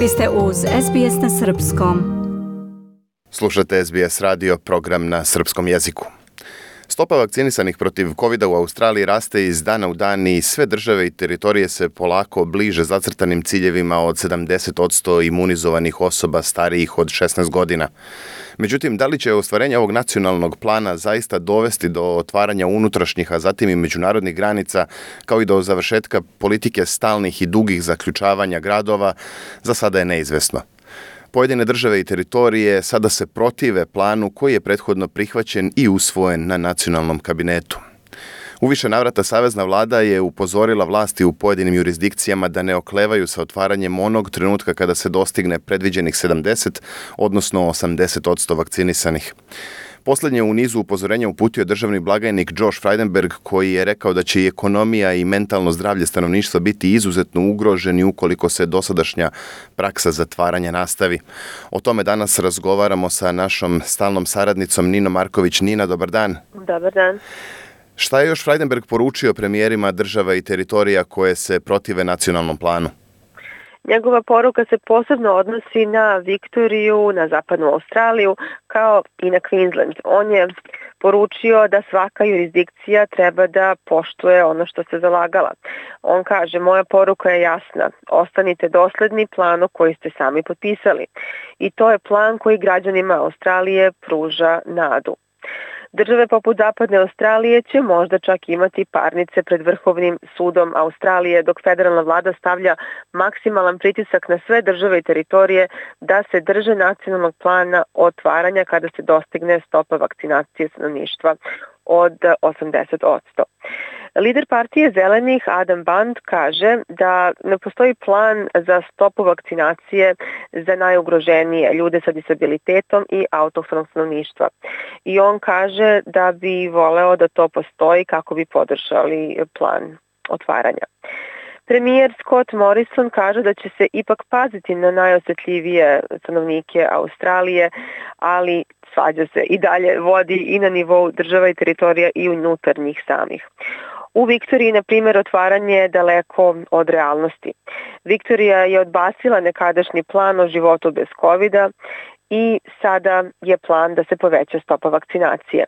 Vi ste uz SBS na Srpskom. Slušate SBS radio, program na srpskom jeziku. Stopa vakcinisanih protiv COVID-a u Australiji raste iz dana u dan i sve države i teritorije se polako bliže zacrtanim ciljevima od 70% imunizovanih osoba starijih od 16 godina. Međutim, da li će ostvarenje ovog nacionalnog plana zaista dovesti do otvaranja unutrašnjih, a zatim i međunarodnih granica, kao i do završetka politike stalnih i dugih zaključavanja gradova, za sada je neizvesno. Pojedine države i teritorije sada se protive planu koji je prethodno prihvaćen i usvojen na nacionalnom kabinetu. U više navrata savezna vlada je upozorila vlasti u pojedinim jurisdikcijama da ne oklevaju sa otvaranjem onog trenutka kada se dostigne predviđenih 70, odnosno 80% vakcinisanih. Poslednje u nizu upozorenja uputio državni blagajnik Josh Frydenberg, koji je rekao da će i ekonomija i mentalno zdravlje stanovništva biti izuzetno ugroženi ukoliko se dosadašnja praksa zatvaranja nastavi. O tome danas razgovaramo sa našom stalnom saradnicom Ninom Marković. Nina, dobar dan. Dobar dan. Šta je još Frydenberg poručio premijerima država i teritorija koje se protive nacionalnom planu? Njegova poruka se posebno odnosi na Viktoriju, na zapadnu Australiju, kao i na Queensland. On je poručio da svaka jurisdikcija treba da poštuje ono što se zalagala. On kaže, moja poruka je jasna, ostanite dosledni planu koji ste sami potpisali. I to je plan koji građanima Australije pruža nadu. Države poput zapadne Australije će možda čak imati parnice pred Vrhovnim sudom Australije, dok federalna vlada stavlja maksimalan pritisak na sve države i teritorije da se drže nacionalnog plana otvaranja kada se dostigne stopa vakcinacije stanovništva od 80%. Lider partije Zelenih Adam Band kaže da ne postoji plan za stopu vakcinacije za najugroženije ljude sa disabilitetom i autohtonog stanovništva. I on kaže da bi voleo da to postoji kako bi podržali plan otvaranja. Premijer Scott Morrison kaže da će se ipak paziti na najosetljivije stanovnike Australije, ali svađa se i dalje vodi i na nivou država i teritorija i unutar njih samih. U Viktoriji, na primjer, otvaranje je daleko od realnosti. Viktorija je odbacila nekadašnji plan o životu bez COVID-a i sada je plan da se poveća stopa vakcinacije.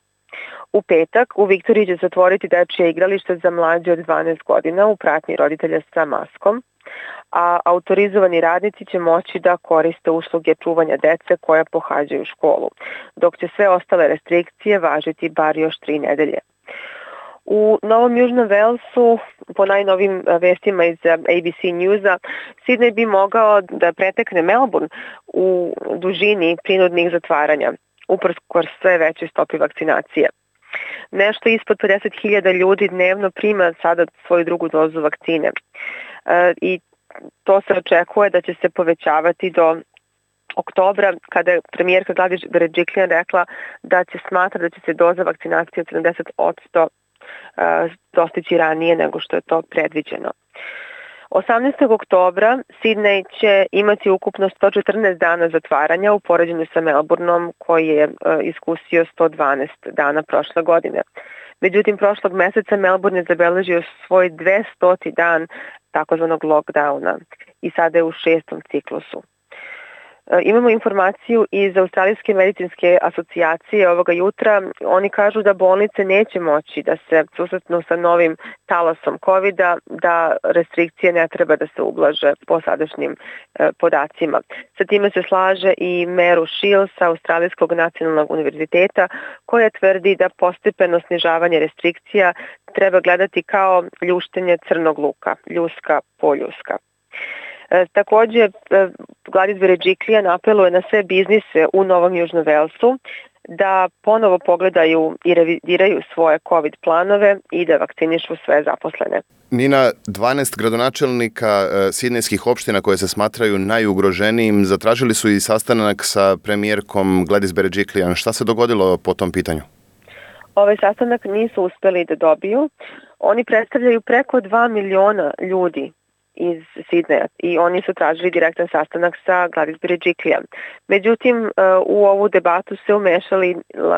U petak u Viktoriji će se otvoriti dečje igralište za mlađe od 12 godina u pratnji roditelja sa maskom, a autorizovani radnici će moći da koriste usluge čuvanja dece koja pohađaju školu, dok će sve ostale restrikcije važiti bar još 3 nedelje. U Novom Južnom Velsu, po najnovim vestima iz ABC Newsa, Sydney bi mogao da pretekne Melbourne u dužini prinudnih zatvaranja, uprkos sve većoj stopi vakcinacije. Nešto ispod 50.000 ljudi dnevno prima sada svoju drugu dozu vakcine i to se očekuje da će se povećavati do oktobra, kada je premijerka Gladys Berejiklian rekla da će smatra da će se doza vakcinacije od 70% dostići ranije nego što je to predviđeno. 18. oktobra Sydney će imati ukupno 114 dana zatvaranja u poređenju sa Melbourneom koji je iskusio 112 dana prošle godine. Međutim, prošlog meseca Melbourne je zabeležio svoj 200. dan takozvanog lockdowna i sada je u 6. ciklusu. Imamo informaciju iz Australijske medicinske asocijacije ovoga jutra. Oni kažu da bolnice neće moći da se susretnu sa novim talasom COVID-a, da restrikcije ne treba da se ublaže po sadašnjim podacima. Sa time se slaže i Meru Shields sa Australijskog nacionalnog univerziteta, koja tvrdi da postepeno snižavanje restrikcija treba gledati kao ljuštenje crnog luka, ljuska po ljuska. Također, Gladys Berejiklian apeluje na sve biznise u Novom Južnom Velsu da ponovo pogledaju i revidiraju svoje COVID planove i da vakcinišu sve zaposlene. Nina, 12 gradonačelnika sidnejskih opština koje se smatraju najugroženijim zatražili su i sastanak sa premijerkom Gladys Berejiklian. Šta se dogodilo po tom pitanju? Ovaj sastanak nisu uspeli da dobiju. Oni predstavljaju preko 2 miliona ljudi iz Sidneja i oni su tražili direktan sastanak sa Gladys Berejiklian. Međutim, u ovu debatu se umešali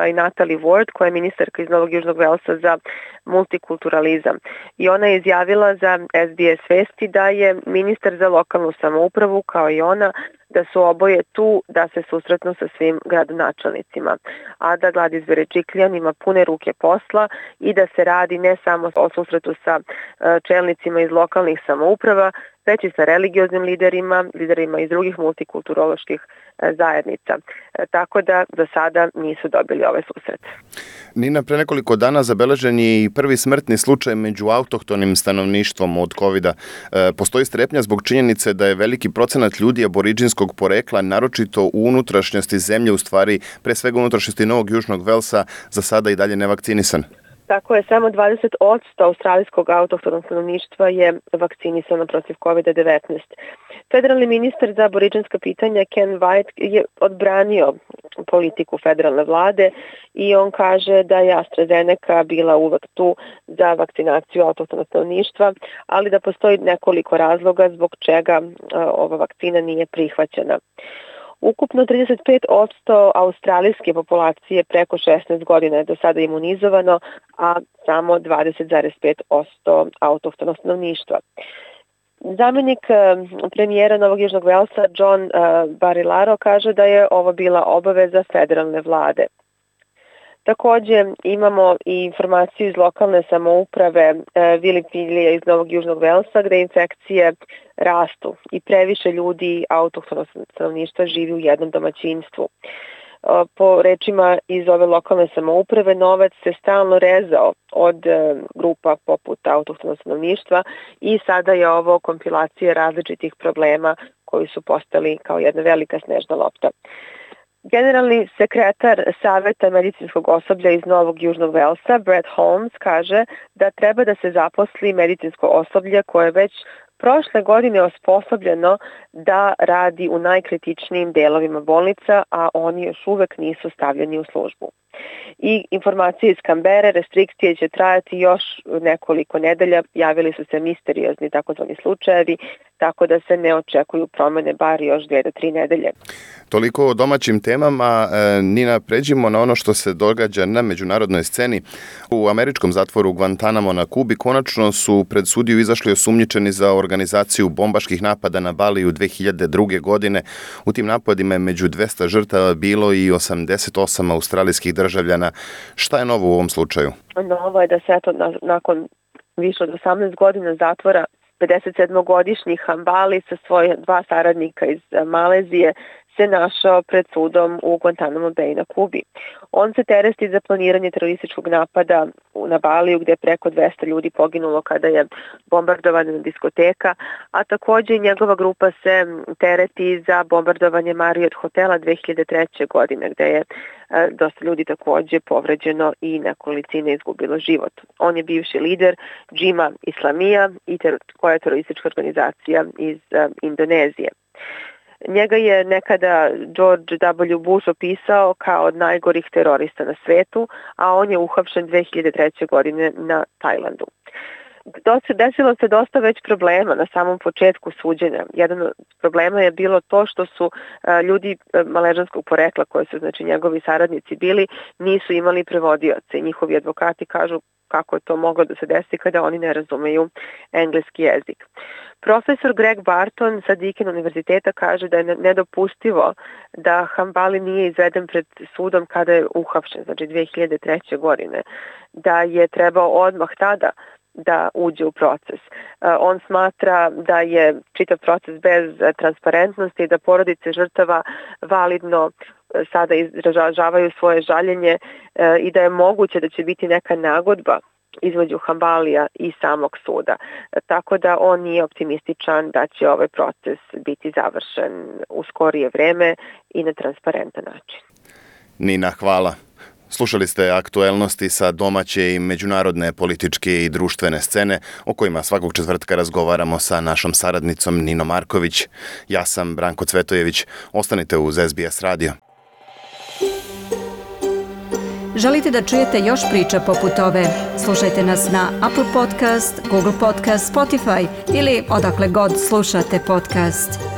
i Natalie Ward, koja je ministarka iz Novog Južnog Velsa za multikulturalizam. I ona je izjavila za SBS Vesti da je ministar za lokalnu samoupravu, kao i ona, da su oboje tu da se susretnu sa svim gradonačelnicima, a da Gladys Berejiklian ima pune ruke posla i da se radi ne samo o susretu sa čelnicima iz lokalnih samouprava, već i sa religioznim liderima iz drugih multikulturoloških zajednica. Tako da za sada nisu dobili ovaj susret. Nina, pre nekoliko dana zabeležen je i prvi smrtni slučaj među autohtonim stanovništvom od COVID-a. Postoji strepnja zbog činjenice da je veliki procenat ljudi aboriđinskog porekla, naročito u unutrašnjosti zemlje, u stvari pre svega unutrašnjosti Novog Južnog Velsa, za sada i dalje nevakcinisan. Tako je, samo 20% australijskog autohtonog stanovništva je vakcinisano protiv COVID-19. Federalni ministar za aboriđinska pitanja Ken White je odbranio politiku federalne vlade i on kaže da je AstraZeneca bila uvek tu za vakcinaciju autohtonog stanovništva, ali da postoji nekoliko razloga zbog čega ova vakcina nije prihvaćena. Ukupno 35% australijske populacije preko 16 godina je do sada imunizovano, a samo 20,5% autohtonog stanovništva. Zamenik premijera Novog Južnog Velsa John Barilaro kaže da je ovo bila obaveza federalne vlade. Takođe imamo i informaciju iz lokalne samouprave Vilipilija iz Novog Južnog Velsa gde infekcije rastu i previše ljudi autohtonog stanovništva živi u jednom domaćinstvu. Po rečima iz ove lokalne samouprave, novac se stalno rezao od grupa poput autohtonog stanovništva i sada je ovo kompilacija različitih problema koji su postali kao jedna velika snežna lopta. Generalni sekretar Saveta medicinskog osoblja iz Novog Južnog Velsa, Brett Holmes, kaže da treba da se zaposli medicinsko osoblje koje je već prošle godine osposobljeno da radi u najkritičnijim delovima bolnica, a oni još uvek nisu stavljeni u službu. I informacije iz Kambere, restrikcije će trajati još nekoliko nedelja, javili su se misteriozni takozvani slučajevi, tako da se ne očekuju promene bar još 2 do 3 nedelje. Toliko o domaćim temama. Nina, pređimo na ono što se događa na međunarodnoj sceni. U američkom zatvoru Guantanamo na Kubi konačno su pred sudiju izašli osumnjičeni za organizaciju bombaških napada na Baliju 2002. godine. U tim napadima je među 200 žrtava bilo i 88 australijskih državljana. Šta je novo u ovom slučaju? Novo je da se nakon više od 18 godina zatvora 57-godišnji Hambali sa svoje 2 saradnika iz Malezije se našao pred sudom u Guantanamo Bay na Kubi. On se tereti za planiranje terorističkog napada na Baliju gde je preko 200 ljudi poginulo kada je bombardovana diskoteka, a takođe njegova grupa se tereti za bombardovanje Marriott hotela 2003. godine gde je dosta ljudi takođe povređeno i nekolicina izgubilo život. On je bivši lider Džima Islamija koja je teroristička organizacija iz Indonezije. Njega je nekada George W. Bush opisao kao od najgorih terorista na svetu, a on je uhapšen 2003. godine na Tajlandu. Desilo se dosta već problema na samom početku suđenja. Jedan od problema je bilo to što su ljudi maležanskog porekla, koji su znači njegovi saradnici bili, nisu imali prevodioce. Njihovi advokati kažu kako je to moglo da se desi kada oni ne razumeju engleski jezik. Profesor Greg Barton sa Deakin univerziteta kaže da je nedopustivo da Hambali nije izveden pred sudom kada je uhapšen, znači 2003. godine, da je trebao odmah tada da uđe u proces. On smatra da je čitav proces bez transparentnosti i da porodice žrtava validno sada izražavaju svoje žaljenje i da je moguće da će biti neka nagodba između Hambalija i samog suda. Tako da on nije optimističan da će ovaj proces biti završen u skorije vreme i na transparentan način. Nina, hvala. Slušali ste aktuelnosti sa domaće i međunarodne političke i društvene scene o kojima svakog četvrtka razgovaramo sa našom saradnicom Ninom Marković. Ja sam Branko Cvetojević. Ostanite uz SBS radio. Želite da čujete još priča poput ove? Slušajte nas na Apple Podcast, Google Podcast, Spotify ili odakle god slušate podcast.